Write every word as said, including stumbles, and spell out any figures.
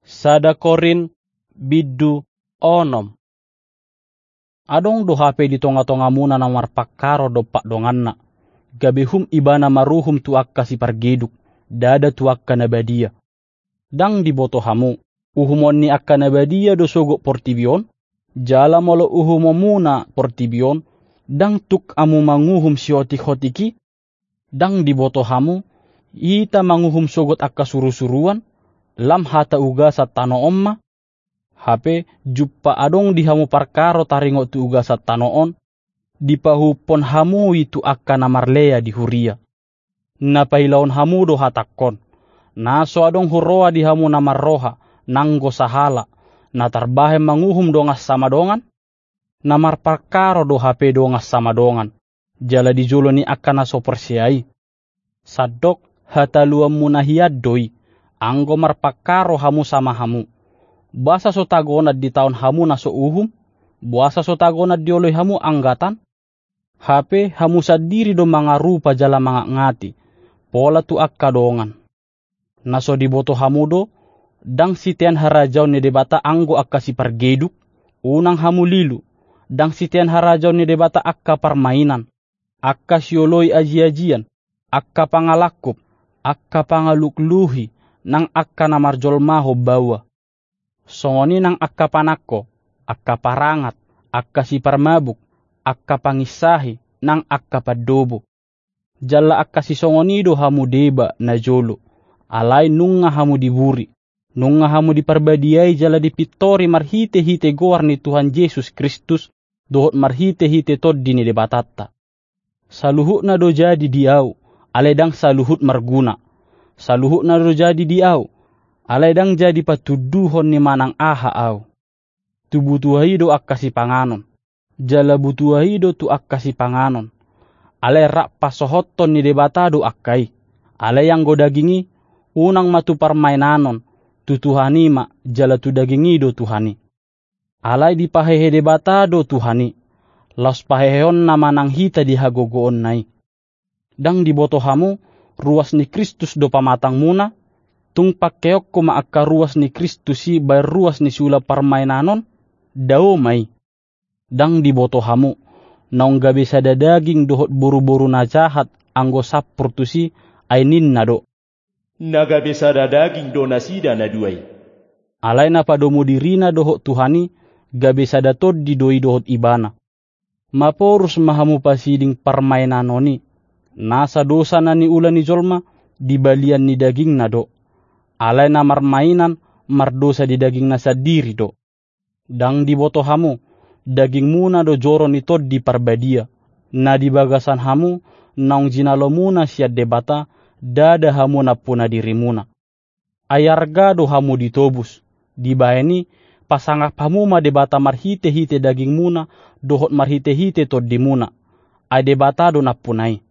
Sada Korint bindu onom. Adong do hape di tonga-tongamuna na marpangkaro dompak donganna, gabe hum ibana maruhum tu angka sipargeduk, ndada tu angka na badia. Ndang diboto hamu, uhumon ni angka na badia do sogot portibi on? Jala molo uhumonmuna portibi on, ndang tuk hamu manguhum sihotik-hotik i? Ndang diboto hamu, hita manguhum sogot angka suru-suruan, lam hata ugasan tano on ma? Hape, jumpa adong di hamu parkaro taringot tu ugasan tano on, dipahuphon hamu i tu angka na marlea di huria. Na pailahon hamu do hatangkon, na so adong huroha di hamu na marroha, nanggo sahala, na tarbahen manguhum dongan sama dongan? Na marpangkaro do hape dongan sama dongan, jala di jolo ni angka na so porsea i. Sandok hataluanmuna hian do i, anggo marpangkaro hamu sama hamu. Boasa so tagonan ditaon hamu na so uhum? Boasa so tagonan dioloi hamu anggatan? Hape hamu sandiri do mangarupa jala mangatngati, pola tu angka dongan. Na so diboto hamu do, ndang sitean harajaon ni Debata anggo angka sipargeduk? Unang hamu lilu, ndang sitean harajaon ni Debata angka parmainan, angka sioloi aji-ajian, angka pangalangkup, angka pangalukluhi, nang angka na marjolmahon baoa. Songon i nang angka panangko, angka parangat, angka siparmabuk, angka panginsahi, nang angka pandobo. Jala angka sisongon i do hamu deba najolo, alai nunga hamu diburi, nunga hamu diparbadiai jala dipintori marhite-hite goar ni Tuhan Jesus Kristus, dohot marhite-hite Tondi ni Debatanta. Saluhutna do jadi di ahu, alai ndang saluhut marguna. Saluhutna do jadi di ahu, alai ndang jadi patunduhon ni manang aha ahu. Tu butuha i do angka sipanganon, jala butuha i do tu angka sipanganon. Alai rap pansohothon ni Debata do angka i. Alai anggo daging i, unang ma tu parmainanon, tu Tuhan i ma, jala tu daging i do Tuhan i. Alai dipahehe Debata do Tuhan i, laos paheheonna manang hita di hagogoonna i. Ndang diboto hamu, ruas ni Kristus do pamatangmuna? Tung pangkeonku ma angka ruas ni Kristus i bahen ruas ni siula parmainanon? Dao ma i. Ndang diboto hamu, naung gabe sada daging dohot boru-boru na jahat anggo sampur tusi, ai ninna do: Na gabe sada daging do nasida na dua i. Alai na padomu dirina dohot Tuhan i, gabe sada tondi do i dohot ibana. Maporus ma hamu pasiding parmainanon i. Nasa dosa na niula ni jolma, di balian ni dagingna do. Alai na marmainan, mardosa di dagingna sandiri do. Ndang diboto hamu, dagingmuna do joro ni Tondi Parbadia, na di bagasan hamu, naung jinalomuna sian Debata, ndada hamu nampuna dirimuna. Ai arga do hamu ditobus, dibahen i, pasangap hamu ma Debata marhite-hite dagingmuna, dohot marhite-hite tondimuna. Ai Debata do nampuna i.